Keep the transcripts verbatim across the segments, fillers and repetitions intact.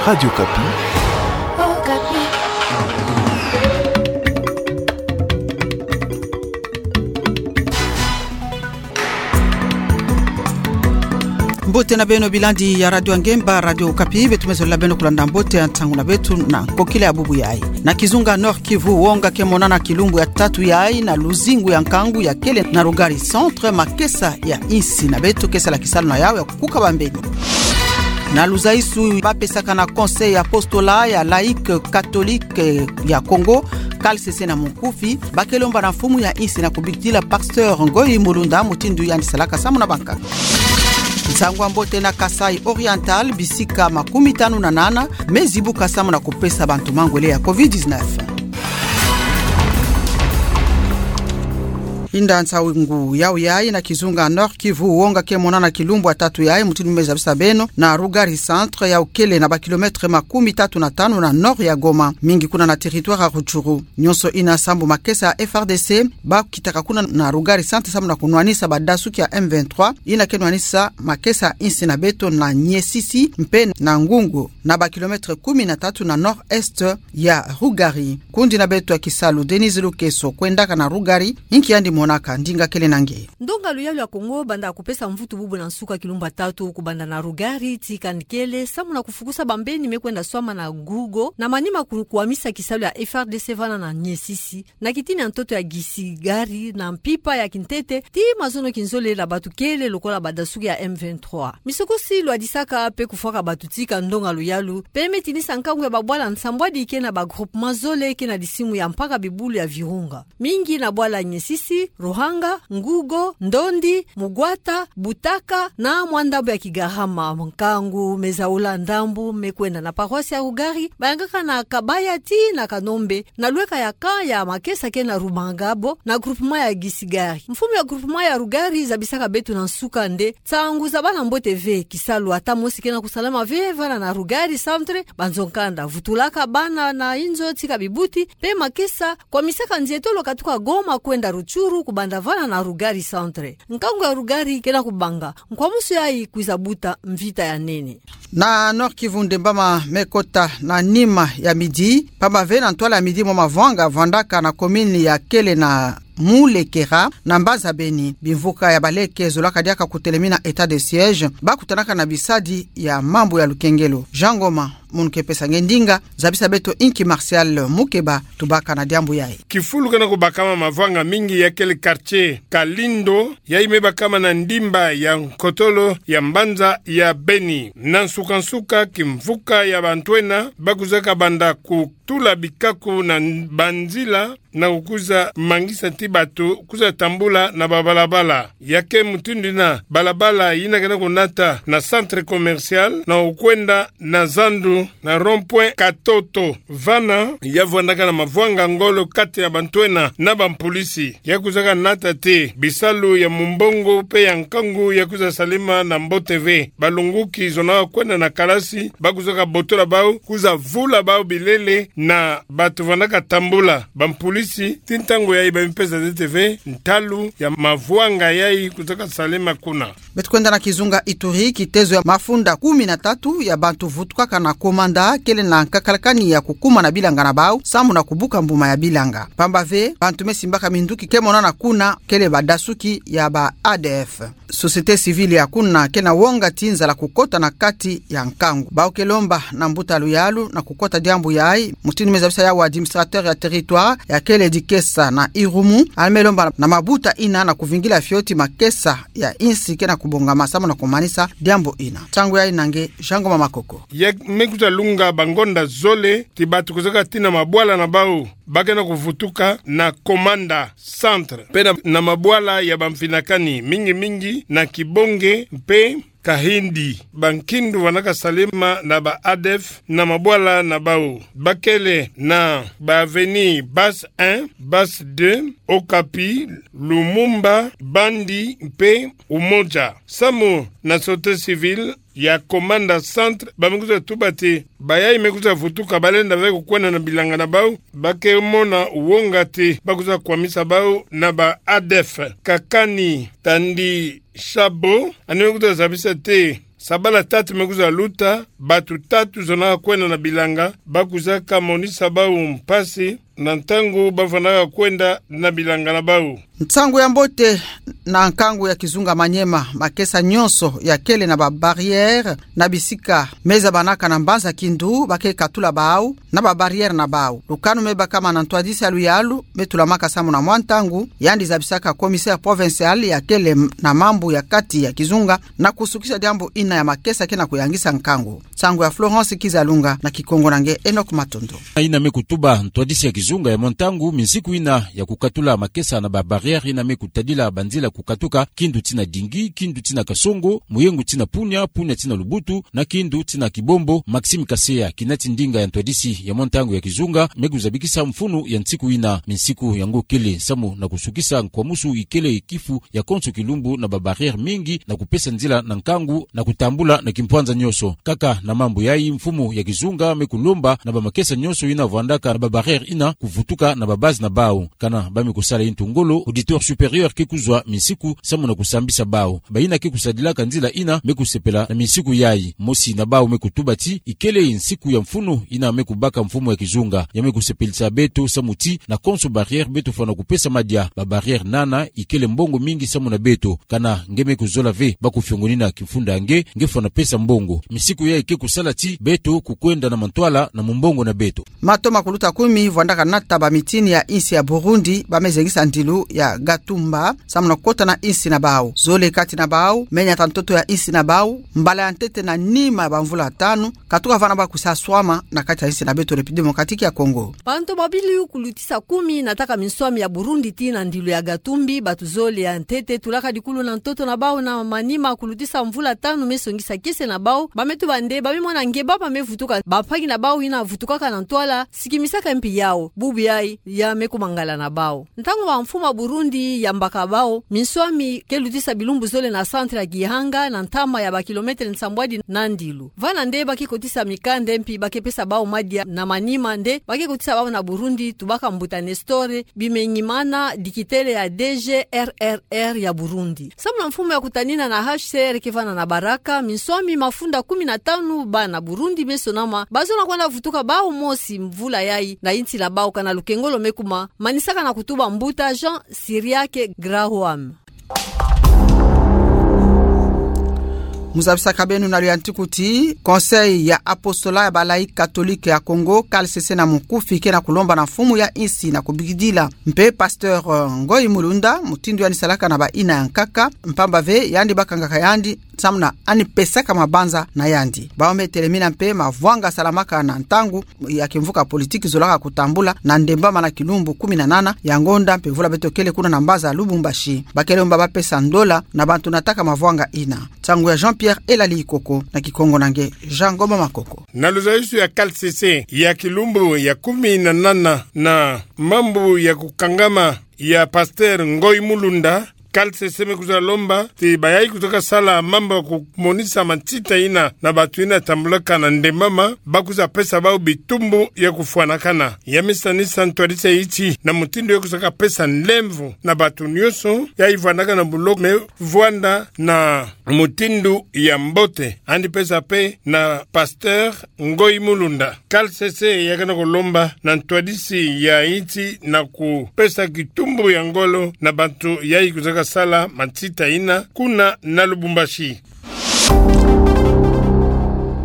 Radio Okapi. Mbote na beno, bilandi ya Radio Ngemba, Radio Okapi. Beto me zolila beno kulanda mbote ya ntangu na beto na nkokila ya bubu yayi. Na kizunga Nord-Kivu, wonga ke monana kilumbu ya tatu yayi na luzingu ya nkangu ya kele na Rugari Centre, makesa ya insi na beto ke sala kisalu na yawu ya kukuka bambeni. Na luzaisu ba pesaka na Conseil Apostolat ya Laïque Catholique ya Congo, C A L C C na munkufi, ba ke lomba na mfumu ya insi na kubikila Pasteur Ngoyi Mulunda mutindu yandi salaka samu na bankaka. Nsangu ya mbote na Kasaï Oriental, bisika makumi tanu na nana me zibuka samu na kupesa bantu mangwele ya covid dix-neuf. Inda nsangu yawu yayi. Na kizunga Nord-Kivu, wonga ke monana kilumbu ya tatu yayi, mutindu me zabisa beno, na Rugari Centre yawu kele na ba kilomètre makumi tatu na tanu na nord ya Goma, mingi kuna na territoire ya Rutshuru. Nyonso ina sambu makesa ya F R D C ba kitaka kuna na Rugari Centre samu na kunwanisa badasuki ya M vingt-trois, ina ke nwanisa makesa ya insi na beto na Niesisi mpe na Ngungu, na ba kilomètre kumi na tatu na nord-est ya Rugari. Kundi na beto ya kisalu Denise Lukeso kwendaka na Rugari, inki yandi monaka, ndinga kele na nge. Ndonga luyalu ya Congo banda kupesa mvutu bubu na nsuka kilumbu ya tatu kubanda na Rugari tii Kankele samu na kufukusa bambeni me kwenda swama na Gugo, na manima ku-, kukwamisa kisalu ya F R D C vana na Niesisi, na kitini ya ntoto ya Gisigari na mpimpa ya kintete tii mazono kinzolele ya bato kele lokola badasuki ya M vingt-trois. Misokosi lwadisaka mpe kufwaka bato tii ka ndonga luyalu mpe me tinisa nkangu ya babwala nsambwadi ke na ba groupement zole ke na disimu ya mpaka bibulu ya Virunga, mingi na bwala Niesisi, Ruhanga, Ngugo, Ndondi, Mugwata, Butaka na mwa ndambu ya Kigarama. Nkangu me zaula ndambu me kwenda na paroisse ya Rugari, bayangaka na Kabaya tii na Kanombe, na lweka ya camp ya makesa ke na Rumangabo, na groupement ya Gisigari. Mfumu ya groupement ya Rugari zabisaka beto na nsuka nde nsangu za bana mbote ve, kisalu ata mosi ke na kusalama ve vana na Rugari Centre, banzo-nkanda vutulaka bana na inzo tii ka bibuti, mpe makesa kwamisaka nzietolo katuka Goma kwenda Rutshuru kubanda vana na Rugari Centre. Nkangu ya Rugari ke na kubanga nkwamusu yayi kwiza buta mvita ya nene. Na Nord-Kivu, ndembama me kota na nima ya midi, pamba ve na ntwala ya midi mwa mavwanga vwandaka na commune ya kele na Mulekera na mbanza Beni. Bimvuka ya baleke zolaka diaka kutelemina état de siège, ba kutanaka na bisadi ya mambu ya lukengelo. Jean Ngoma, munu ke pesa nge ndinga, zabisa beto inki Martial Mukeba tubaka na diambu yayi. Kifulu ke na kubakama mavwanga mingi ya kele quartier Kalindo, yayi me bakama na ndimba ya nkotolo ya mbanza ya Beni. Na nsuka-nsuka, kimvuka ya bantu ena ba kwizaka banda kutula bikaku na banzila na kukwiza mangisa tii bato kwiza tambula na babalabala. Ya ke mutindu ina balabala yina ke na kunata na centre commercial na kukwenda na zandu na rond-point Katoto. Vana ya vwandaka na mavwanga ngolo kati ya bantu ena na bampulisi. Ya kwizaka nata te bisalu ya mumbongo mpe ya nkangu ya kwiza salema na mbote ve. Balunguki zonaka kwenda na kalasi, ba kwizaka botola bau, kwiza vula bau bilele na bato vandaka tambula. Bampulisi, tii ntangu yayi ba me pesa ntete ve ntalu ya mavwanga yayi kwizaka salema kuna. Beto kwenda na kizunga Ituri, kitezo ya mafunda kumi na tatu ya bantu vutukaka na Komanda kele na nkakalakani ya kukuma na bilanga na bau, samu na kubuka mbuma ya bilanga. Pamba ve, bantu me simbaka minduki ke monana kuna kele badasuki ya ba A D F. Société civile ya kuna ke na wonga ti nzala kukota na kati ya nkangu. Bau ke lomba na mbuta luyalu na kukota diambu yayi, mutindu me zabisa yawu administrateur ya territoire ya kele Dikesa na Irumu, a me lomba na mabuta ina na kuvingila fioti makesa ya insi ke na kubongama samu na kumanisa diambu ina. Ntangu yayi na nge Jean Ngoma Makoko. Ya me kwiza lunga bangonda zole ti bato kwizaka tii na mabwala na bau ba ke na kuvutuka na Komanda Centre, mpe na, na mabwala ya bamfinakani, mingi-mingi na Kibonge mpe Kahindi. Bankindu vandaka salema na ba A D F na mabwala na bau. Ba kele na ba avenue Basse un, Basse deux, Okapi, Lumumba, Bandi mpe Umoja. Samu na société civile ya Komanda Centre, ba me kwiza tuba ti bayayi me kwiza vutuka, ba lenda ve kukwenda na bilanga na bau, ba ke mona wonga ti ba kwiza kwamisa bau na ba A D F. Kakani Tandi Shabo, yandi me kwiza zabisa ti Sabala tatu me kwiza luta, batu tatu zonaka kwenda na bilanga, ba kwizaka monisa bau mpasi, na ntangu ba vandaka kwenda na bilanga na bau. Nsangu ya mbote na nkangu ya kizunga Maniema, makesa nyonso ya kele na ba barrières na bisika me zabanaka na mbanza kindu, ba ke katula bau na ba barrières na bau. Lukanu me bakama na ntwadisi ya luyalu me tulamaka samu na mwa ntangu, yandi zabisaka commissaire provincial ya kele na mambu ya kati ya kizunga, na kusukisa diambu ina ya makesa ke na kuyangisa nkangu. Nsangu ya Florence Kizalunga, na Kikongo na nge Enoch Matondo. Ina me kutuba ntwadisi ya kizunga ya mwa ntangu, minsiku ina ya kukatula makesa na ba barrières ina me kutadila banzila kukatuka kindu tii na Dingi, kindu tii na Kasongo, Muyengu tii na Punia, Punia tii na Lubutu, na kindu tii na Kibombo. Maxime Kaseya, kinati ndinga ya ntwadisi ya mwa ntangu ya kizunga, me kuzabikisa mfunu ya nsiku ina. Minsiku yango kele samu na kusukisa nkwamusu ikele kifu ya konso kilumbu na ba barrières mingi na kupesa nzila na nkangu na kutambula na kimpwanza nyonso. Kaka na mambu yayi, mfumu ya kizunga me kulomba na ba makesa nyonso ina vandaka na ba barrières ina kuvutuka na ba bases na bau. Kana ba me kusala intu ngolo, auditeur supérieur ke kuzwa minsiku samu na kusambisa bau. Bayina ke kusadilaka nzila ina me kusepela na minsiku yayi. Mosi na bau me kutuba ti ikele nsiku ya mfunu ina me kubaka mfumu ya kizunga. Ya me kusepelisa beto samu ti na konso barrières beto fwana kupesa madia. Ba barrières nana ikele mbongo mingi samu na beto. Kana nge me kuzola ve ba kufiongonina kimfunda ya nge, nge fwana pesa mbongo. Minsiku yayi ke kusala ti beto kukwenda na mantwala na mumbongo na beto. Mato makuluta kumi vandaka nata ba mitini ya insi ya Burundi ba me zengisa ndilu ya Gatumba samu na kota na insi na bau. Zole kati na bau me nyata ntoto ya insi na bau, mbala ya ntete na nima ya ba mvula tanu, katuka vana ba kusa swama na kati ya insi na beto République Démocratique ya Congo. Bantu babili kulutisa kumi nataka minswami ya Burundi tii na ndilu ya Gatumbi, batu zole ya ntete tulaka dikulu na ntoto na bau na manima kulutisa mvula tanu me songisa kiese na bau, ba me tuba nde ba me mona nge ba ba me vutuka bampangi na bau ina vutukaka na ntwala, sikimisaka mpi yau, bubu yayi ya me kuma ngala na bau. Ntangu ba mfumu ya Burundi yambaka bau, minswami ke lutisa bilumbu zole na centre ya Gihanga, na ntama ya ba kilomètre nsambwadi na ndilu. Vana nde ba ke kotisa mikanda mpi ba ke pesa bau madia, na manima nde ba ke kotisa bau na Burundi, tubaka mbuta Nestor Bimenyimana, dikitele ya D G R R R ya Burundi. Samu na mfumu ya kutanina na H C R ke vana na Baraka, minswami mafunda kumi na tanu bana Burundi me sonama, ba zona kwenda vutuka bau mosi mvula yayi na insi na bau, kana lukengolo me kuma, manisaka na kutuba mbuta Jean Cyriaque Graham. Mu zabisaka beno na luyantiku ti Conseil ya Apostolat ya ba Laïcs Catholiques ya Congo, C A L C C, na mukufi ke na kulomba na mfumu ya insi na kubikidila mpe pasteur, euh, Ngoyi Mulunda, mutindu yandi salaka na ba ina ya nkaka, mpamba ve yandi ba kangaka yandi samu na yandi pesaka mabanza na yandi. Bau me telemina mpe mavwanga salamaka na ntangu ya kimvuka politique zolaka kutambula na Ndembama na kilumbu kumi na nana ya ngonda mpe mvula beto kele kuna na mbaza Lubumbashi. Ba ke lomba ba pesa ndola na bantu nataka mavwanga ina. Nsangu ya Jean-Pierre Elali Ikoko, na Kikongo na nge Jean Ngoma Makoko. Na luzayisu ya C A L C C ya kilumbu ya kumi na nana na mambu ya kukangama ya pasteur Ngoyi Mulunda, C A L C C me kwiza lomba ti bayayi kwizaka sala mambu ya kumonisa matsita ina na bantu ina tambulaka na Ndembama, ba kwiza pesa bau bitumbu ya kufwanakana. Ya me sanisa ntwadisi ya iti na mutindu ya kwizaka pesa nlemvo na bantu nyonso yayi vandaka na buloko me vwanda na mutindu ya mbote. Yandi pesa mpe na pasteur Ngoyi Mulunda. C A L C C ya ke na kulomba na ntwadisi ya iti na kupesa kitumbu ya ngolo na bantu yayi kwizaka sala matsita ina kuna na Lubumbashi.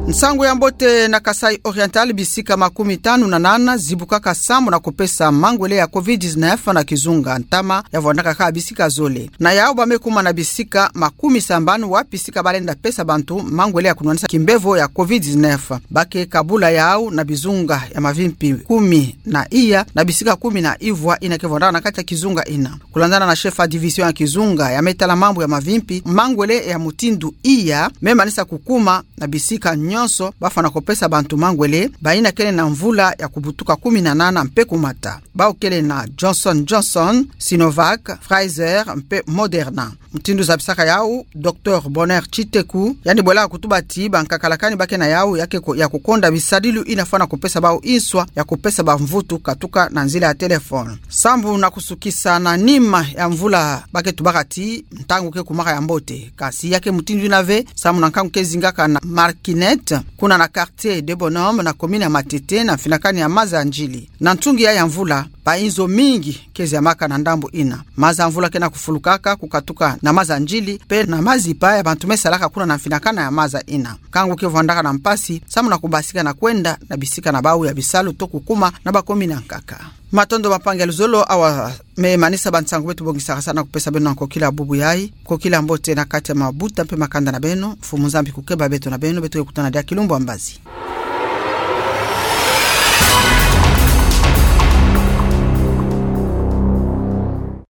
Nsangu ya mbote. Na Kasaï Oriental, bisika makumi tanu na nana zibukaka samu na kupesa mangwele ya covid dix-neuf na kizunga, ntama ya vwandaka kaka bisika zole. Na yau ba me kuma na bisika makumi sambanu wapi sika ba lenda pesa bantu mangwele ya kunwanisa kimbevo ya covid dix-neuf. Ba ke kabula yau na bizunga ya mavimpi kumi na iya na bisika kumi na ivwa ina ke vwandaka na kati ya kizunga ina. Kulandana na chef ya division ya kizunga ya me tala mambu ya mavimpi, mangwele ya mutindu iya me manisa kukuma na bisika nyo- nyonso bafwana kopesa bantu mangwele bayina kele na mvula ya kubutuka kumi na nana mpe kumata, bawu kele na Johnson Johnson, Sinovac, Pfizer mpe Moderna. Mutindu zabisaka yawu, Docteur Bonheur Tshiteku yandi bwelaka kutuba ti bankakalakani bake na yawu ya ke ko- ya kukonda bisadilu yina fwana kopesa bawu nswa ya kopesa bamvutu katuka na nzila ya téléphone. Sambu na kusukisa na nima ya mvula, bake tubaka ti ntangu ke kumaka ya mbote, kasi ya ke mutindu yina ve, samu na nkangu ke zingaka na Marquinette, kuna na quartier des Bonhommes na commune ya Matete, na mfinakani ya maza ya Ndjili. Na ntungi ya ya mvula, bainzo mingi ke ziamaka na ndambu yina. Maza ya mvula ke na kufulukaka kukatuka na maza ya Ndjili mpe na mazipa ya bantu me salaka kuna na mfinakana ya maza yina. Nkangu ke vwandaka na mpasi samu na kubasika na kwenda na bisika na bawu ya bisalu to kukuma na ba commune ankaka. Matondo bampangi ya luzolo, awa me manisa bansangu beto bongisaka sa na kupesa beno na kokila bubu yayi. Kokila mbote na kati ya mabuta mpe makanda na beno. Mfumu Nzambi kukeba beto na beno, beto ke kutana diaka kilumbu ya mbazi.